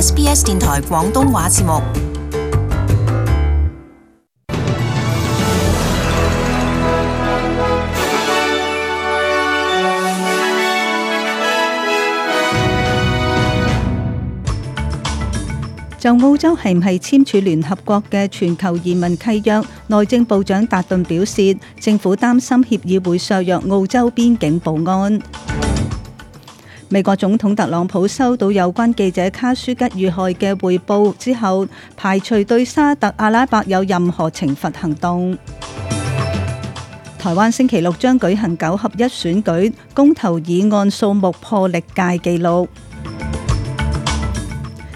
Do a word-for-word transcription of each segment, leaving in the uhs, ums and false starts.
S B S 電台廣東話節目。就澳洲係唔係簽署聯合國嘅全球移民契約，內政部長達頓表示，政府擔心協議會削弱澳洲邊境保安。美國總統特朗普收到有關記者卡舒吉遇害嘅匯報之後，排除對沙特阿拉伯有任何懲罰行動。台灣星期六將舉行九合一選舉，公投議案數目破歷屆紀錄。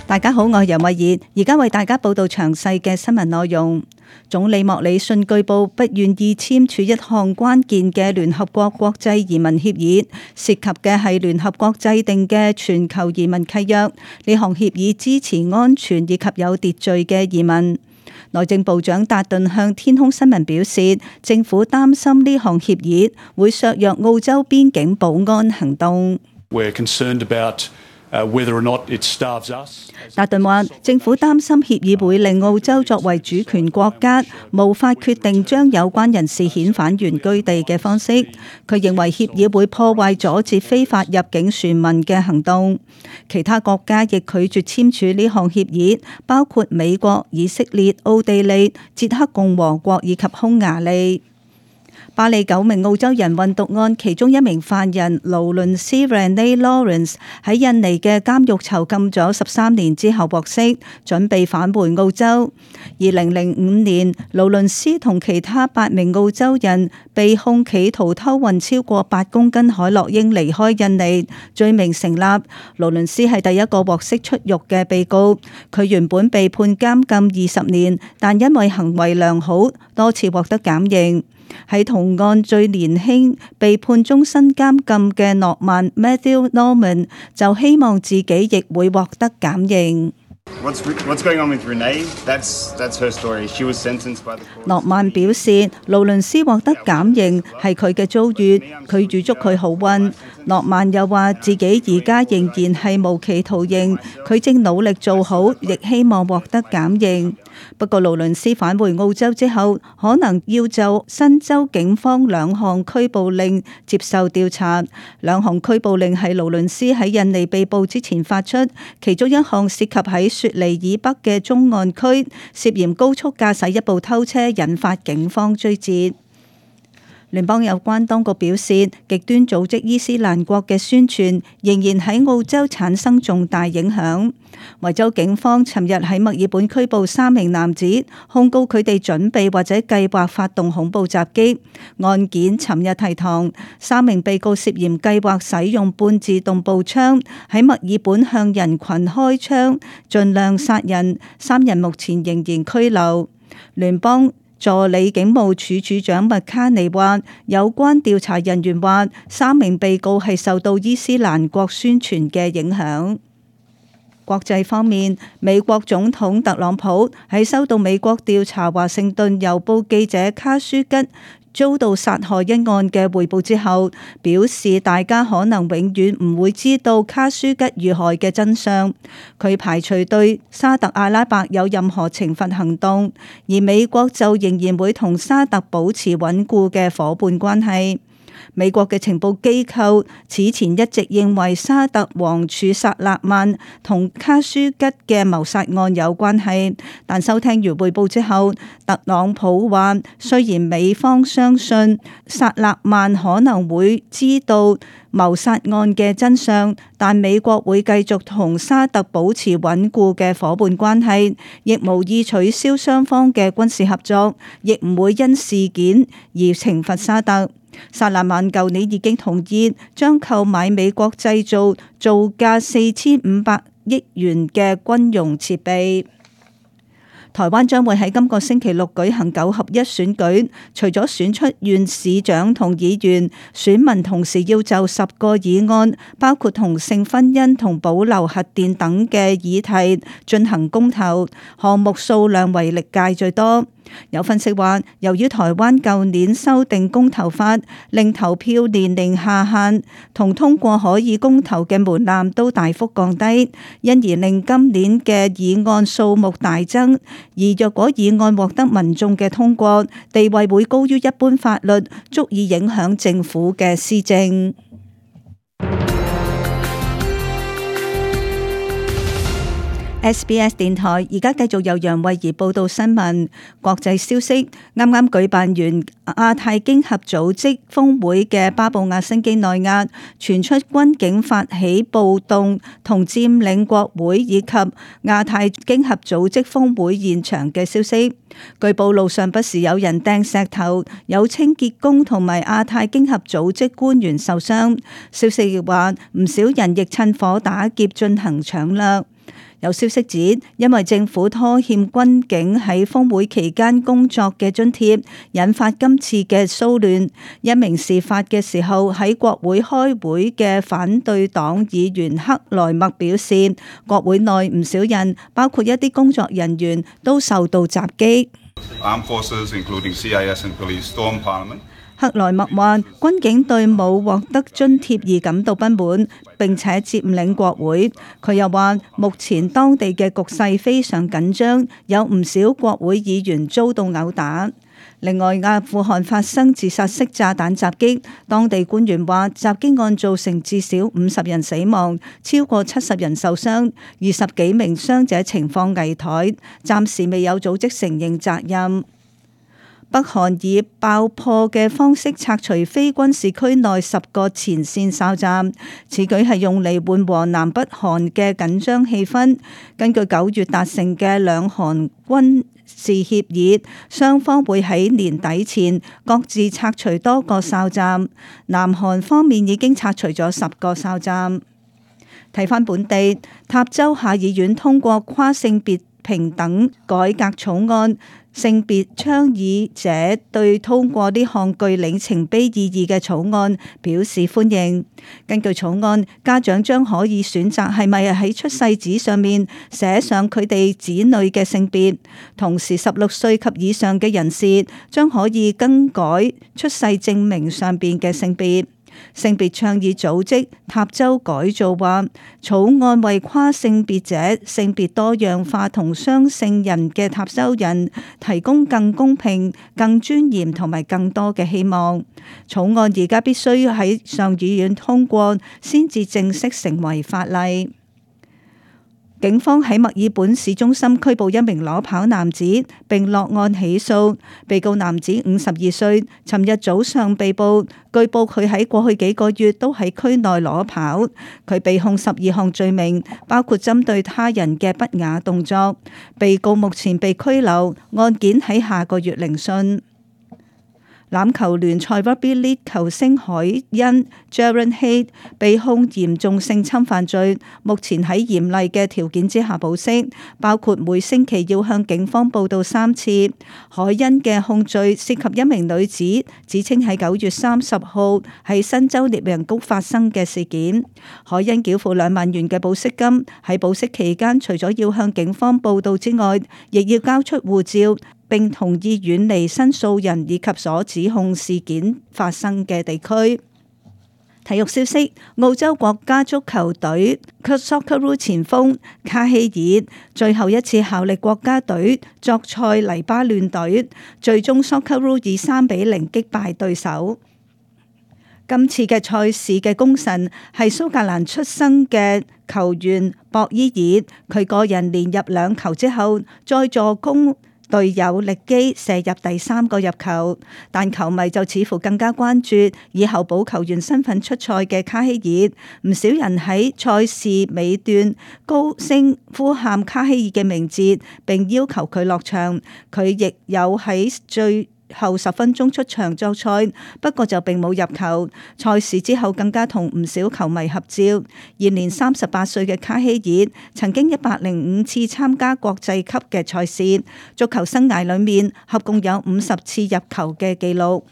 大家好，我係楊慧儀，而家為大家報道詳細嘅新聞內容。總理莫里遜據報不願意簽署一項關鍵嘅聯合國國際移民協議，涉及嘅係聯合國制定嘅全球移民契約。呢項協議支持安全以及有秩序嘅移民。內政部長達頓向天空新聞表示，政府擔心呢項協議會削弱澳洲邊境保安行動。We're concerned about whether or not it starves us. 達頓話，政府擔心協議會令澳洲作為主權國家無法決定將有關人士遣返原居地嘅方式。佢認為協議會破壞阻截非法入境船民嘅行動。其他國家亦拒絕簽署呢項協議，包括美國、以色列、奧地利、捷克共和國以及匈牙利。巴黎九名澳洲人運毒案其中一名犯人勞倫斯 Renee Lawrence 喺印尼嘅監獄囚禁咗十三年之後獲釋，準備返回澳洲。二零零五年，勞倫斯同其他八名澳洲人被控企圖偷運超過八公斤海洛因離開印尼，罪名成立。勞倫斯係第一個獲釋出獄嘅被告，佢原本被判監禁二十年，但因為行為良好，多次獲得減刑。喺同案最年輕被判終身監禁嘅諾曼 Matthew Norman 就希望自己亦會獲得減刑。What's, what's going on with Renee? That's, that's her story. She was sentenced by the court. 諾曼表示，勞倫斯獲得減刑係佢嘅遭遇，佢預祝佢好運。諾曼又話自己而家仍然係無期徒刑，佢正努力做好，亦希望獲得減刑。不過勞倫斯返回澳洲之後，可能要就新州警方兩項拘捕令接受調查。兩項拘捕令係勞倫斯喺印尼被捕之前發出，其中一項涉及喺雪梨以北嘅中岸區涉嫌高速駕駛一部偷車，引發警方追截。聯邦有關當局表示，極端組織伊斯蘭國嘅宣傳仍然喺澳洲產生重大影響。維州警方尋日喺墨爾本拘捕三名男子，控告佢哋準備或者計劃發動恐怖襲擊。案件尋日提堂，三名被告涉嫌計劃使用半自動步槍喺墨爾本向人群開槍，盡量殺人。三人目前仍然拘留。聯邦助理警務處處長麥卡尼話，有關調查人員話，三名被告係受到伊斯蘭國宣傳嘅影響。國際方面，美國總統特朗普喺收到美國調查華盛頓郵報記者卡舒吉遭到殺害一案嘅匯報之後，表示大家可能永遠唔會知道卡舒吉遇害嘅真相。佢排除對沙特阿拉伯有任何懲罰行動，而美國就仍然會同沙特保持穩固嘅夥伴關係。美國嘅情報機構此前一直認為沙特王儲薩勒曼同卡舒吉嘅謀殺案有關係，但收聽完匯報之後，特朗普話雖然美方相信薩勒曼可能會知道謀殺案嘅真相，但美國會繼續同沙特保持穩固嘅夥伴關係，亦無意取消雙方嘅軍事合作，亦唔會因事件而懲罰沙特。薩勒曼舊年已經同意將購買美國製造造價四千五百億元嘅軍用設備。台灣將會喺今個星期六舉行九合一選舉，除咗選出縣市長同議員，選民同時要就十個議案，包括同性婚姻同保留核電等嘅議題進行公投，項目數量為歷屆最多。有分析話，由於台灣舊年修訂公投法，令投票年齡下限同通過可以公投嘅門檻都大幅降低，因而令今年嘅議案數目大增。而若果議案獲得民眾嘅通過，地位會高於一般法律，足以影響政府嘅施政。S B S 電台而家繼續由楊慧儀報道新聞。國際消息，啱啱舉辦完亞太經合組織峰會嘅巴布亞新幾內亞傳出軍警發起暴動同佔領國會以及亞太經合組織峰會現場嘅消息。據報路上不時有人掟石頭，有清潔工同埋亞太經合組織官員受傷。消息亦話唔少人亦趁火打劫進行搶掠。有消息指，因為政府拖欠軍警喺峰會期間工作嘅津貼，引發今次嘅騷亂。一名事發嘅時候喺國會開會嘅反對黨議員克萊默表示，國會內唔少人，包括一啲工作人員，都受到襲擊。Armed forces, including C I S and police, stormed Parliament. 克萊默話：軍警對冇獲得津貼而感到不滿，並且佔領國會。佢又話：目前當地嘅局勢非常緊張，有唔少國會議員遭到毆打。另外，阿富汗發生自殺式炸彈襲擊，當地官員話襲擊案造成至少五十人死亡，超過七十人受傷，二十幾名傷者情況危殆，暫時未有組織承認責任。北韓以爆破嘅方式拆除非軍事區內十個前線哨站，此舉係用嚟緩和南北韓嘅緊張氣氛。根據九月達成嘅兩韓軍事協議，雙方會喺年底前各自拆除多個哨站。南韓方面已經拆除咗十個哨站。睇返本地，塔州下議院通過跨性別平等改革草案。性別倡議者對通過呢項具里程碑意義嘅草案表示歡迎。根據草案，家長將可以選擇係咪喺出世紙上面寫上佢哋子女嘅性別，同時十六歲及以上嘅人士將可以更改出世證明上邊嘅性別。性別倡議組織塔州改造話，草案為跨性別者、性別多樣化同雙性人嘅塔州人提供更公平、更尊嚴同埋更多嘅希望。草案而家必須喺上議院通過，先至正式成為法例。警方喺墨爾本市中心拘捕一名裸跑男子，並落案起訴。被告男子五十二歲，尋日早上被捕。據報佢喺過去幾個月都喺區內裸跑。佢被控十二項罪名，包括針對他人嘅不雅動作。被告目前被拘留，案件喺下個月聆訊。欖球聯賽 Rugby League 球星海恩 Jaren Haight 被控嚴重性侵犯罪，目前喺嚴厲嘅條件之下保釋，包括每星期要向警方報到三次。海恩嘅控罪涉及一名女子，指稱喺九月三十號喺新州獵人谷發生嘅事件。海恩繳付兩萬元嘅保釋金，喺保釋期間除咗要向警方報到之外，亦要交出護照，並同意遠離申訴人以及所指控事件發生嘅地區。體育消息：澳洲國家足球隊 Socceroo 前鋒卡希爾最後一次效力國家隊作賽黎巴嫩隊，最終 Socceroo 以三比零擊敗對手。今次嘅賽事嘅功臣係蘇格蘭出生嘅球員博伊爾，佢個人連入兩球之後，再助攻隊友力基射入第三個入球，但球迷就似乎更加關注以候補球員身份出賽嘅卡希爾。唔少人喺賽事尾段高聲呼喊卡希爾嘅名字，並要求佢落場。佢亦有喺最後十分鐘出場作賽，不過就並冇入球。賽事之後更加同唔少球迷合照。現年三十八歲嘅卡希爾曾經一百零五次參加國際級嘅賽事，足球生涯裏面合共有五十次入球嘅紀錄。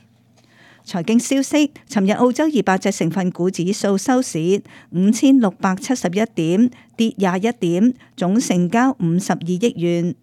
財經消息，尋日澳洲二百隻成分股指數收市五千六百七十一點，跌廿一點，總成交五十二億元。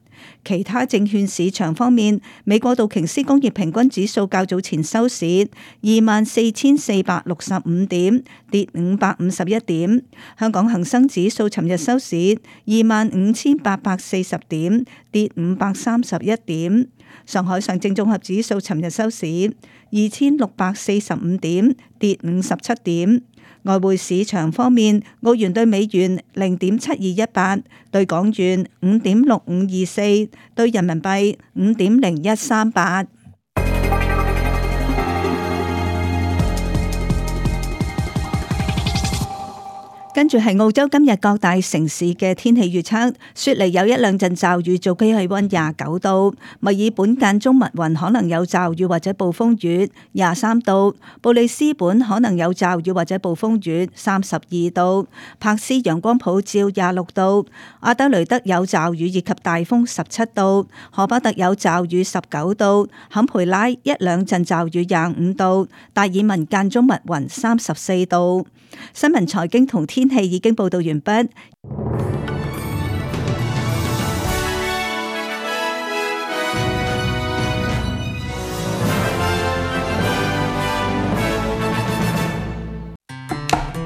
其他證券市場方面，美國道瓊斯工業平均指數較早前收市二萬四千四百六十五點，跌五百五十一點。香港恒生指數尋日收市二萬五千八百四十點，跌五百三十一點。上海上證綜合指數尋日收市二千六百四十五點，跌五十七點。外匯市場方面，澳元對美元零點七二一八，對港元五點六五二四，對人民幣五點零一三八。跟住係澳洲今日各大城市嘅天氣預測，雪梨有一兩陣驟雨，最高氣溫廿九度；墨爾本間中密雲，可能有驟雨或者暴風雨，廿三度；布里斯本可能有驟雨或者暴風雨，三十二度；柏斯陽光普照，廿六度；阿德雷德有驟雨以及大風，十七度；荷巴特有驟雨，十九度；坎培拉一兩陣驟雨，廿五度；達爾文間中密雲，三十四度。新聞財經同天氣已經報道完畢。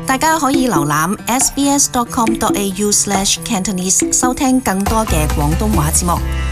大家可以瀏覽 s b s dot com dot a u slash cantonese 收聽更多嘅廣東話節目。